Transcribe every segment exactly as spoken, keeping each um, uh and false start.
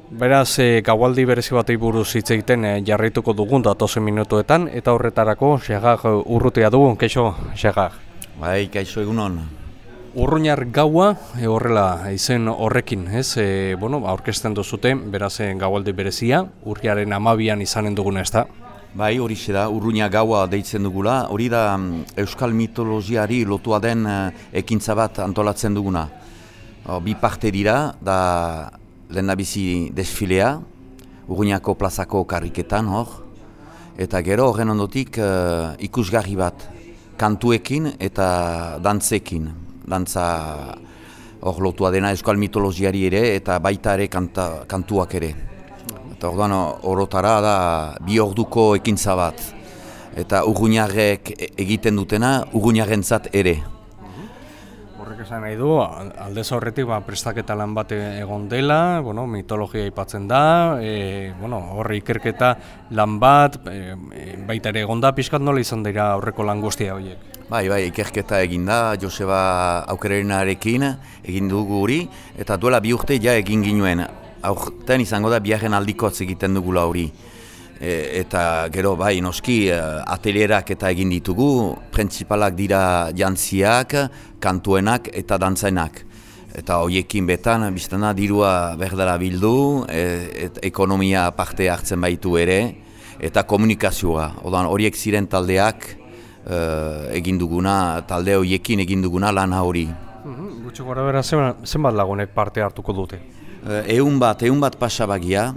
Beraz, e, gaualdi berezi batei buruz hitz egiten e, jarraituko dugun datozen minutuetan, eta horretarako Xagag urrutia dugu, kaixo Xagag. Bai, kaixo egunon. Urruñar gaua e, horrela izen horrekin, ez? E, bueno, aurkezten duzute, beraz e, gaualdi berezia, urriaren hamabian izanen duguna, ez da? Bai, hori da, Urruña gaua deitzen dugula, hori da euskal mitologiari lotua den ekintza bat antolatzen duguna. O, bi parte dira, da lehendabizi desfilea, Urruñako plazako karriketan hor, eta gero horren ondotik uh, ikusgarri bat, kantuekin eta dantzekin. Dantza hor lotua dena euskal mitologiari ere eta baita ere kanta, kantuak ere. Eta orduan orotara da bi orduko ekintza bat. Eta Urruñarrek egiten dutena Urruñarrentzat ere. Horrek esan nahi du, aldez horretik ba, prestaketa lan bat egon dela, bueno, mitologia aipatzen da, e, bueno, horre ikerketa lan bat, e, baita ere egon da, pixkat nola izan dira aurreko lan guztia horiek? Bai, bai, ikerketa egin da, Joseba Aukerenarekin egin dugu hori, eta duela bi urte ja egin ginuen. Aurten izango da biharren aldikotz egiten dugula hori. E, eta gero bai noski atelierak eta egin ditugu, printzipalak dira jantziak, kantuenak eta dantzenak. Eta horiekin betan, biztana dirua berdara bildu, e, et ekonomia parte hartzen baitu ere, eta komunikazioa. Odan horiek ziren taldeak e, egin duguna, talde horiekin egin duguna lana hori. Gutxi gora bera zenbat lagunek parte hartuko dute? Ehun bat, ehun bat pasabagia,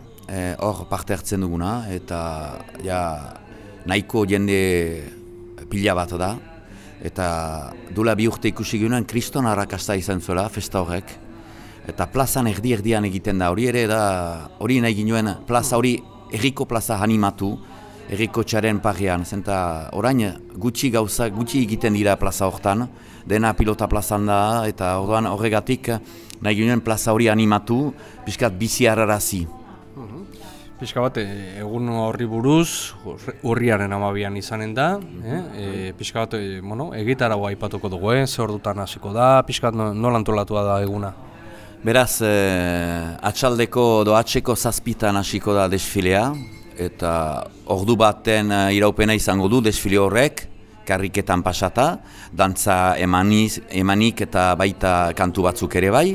hor parte hartzen duguna, eta ja, nahiko jende pila bat da. Eta duela bi urte ikusi ginen kriston arrakasta izan zuela, festa horrek. Eta plazan erdi-erdian egiten da, hori ere da, hori nahi ginen, plaza hori herriko plaza animatu, herriko txaren parrean. Zenta orain gutxi gauza, gutxi egiten dira plaza hortan, dena pilota plazan da, eta orduan horregatik nahi ginen plaza hori animatu, pixkat bizi harrarazi. Pixka bat, egun horri buruz, urriaren hamabian izanen da, eh? e, pixka bat, e, bueno, egitaragoa aipatuko dugu, eh? Ze ordutan hasiko da, pixka bat nola antolatua da eguna? Beraz, eh, atxaldeko doatzeko zazpitan hasiko da desfilea, eta ordu baten iraupena izango du desfile horrek, karriketan pasata, dantza emaniz, emanik eta baita kantu batzuk ere bai,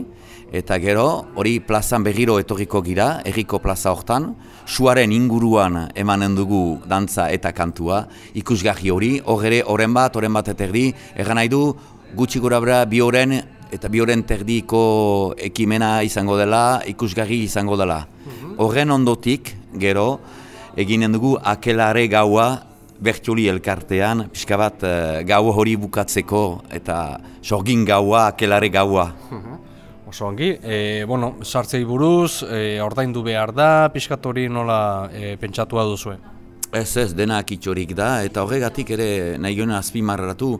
eta gero hori plazan berriro etorriko gira, herriko plaza hortan, suaren inguruan emanen dugu dantza eta kantua, ikusgarri hori, hor ere, horren bat, horren bat eterdi, erran nahi du, gutxi gora bera bi horren eta bi horren terdiko ekimena izango dela, ikusgarri izango dela. Horren ondotik, gero, eginen dugu akelare gaua, bertioli elkartean, pixka bat gau hori bukatzeko, eta sorgin gaua, akelare gaua. Oso ongi, e, bueno, sartzei buruz, e, ordaindu behar da, pixkat hori nola e, pentsatua duzuen? Ez ez, dena kitxorik da, eta horregatik ere nahi gona azpimarratu,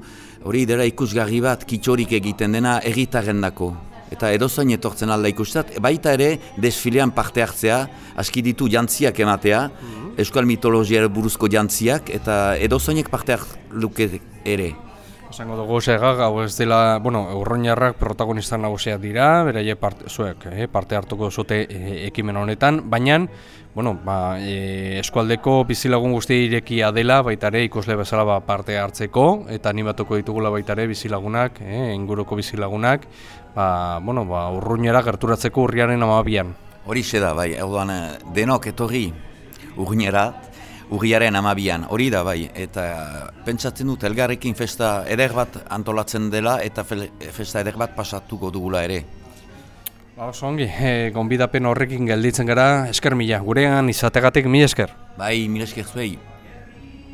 hori dela ikusgarri bat kitxorik egiten dena erritarrendako. Eta edozain etortzen alda ikustat, baita ere desfilean parte hartzea, aski ditu jantziak ematea, mm-hmm. euskal mitologiara buruzko jantziak, eta edozainek parte harluke ere. Esango dugu Xagag, hau ez dela, bueno, Urruñarrak protagonista nagusiak dira, beraie parte, zuek, eh, parte hartuko zute eh, ekimen honetan, baina, bueno, ba, eh, eskualdeko bizilagun guzti irekia dela, baita ere ikusle bezala ba, parte hartzeko, eta animatuko ditugula baita ere bizilagunak, eh, inguruko bizilagunak, ba, bueno, ba, Urruñara gerturatzeko urriaren hamabian. Horixe da, bai, orduan denok etorri Urruñara, urriaren hamabian, hori da bai, eta pentsatzen dut elgarrekin festa eder bat antolatzen dela eta festa eder bat pasatuko dugula ere. Ba, oso ongi, e, gonbidapen horrekin gelditzen gara, esker mila, gurean izategatik mila esker. Bai, mila esker zuei.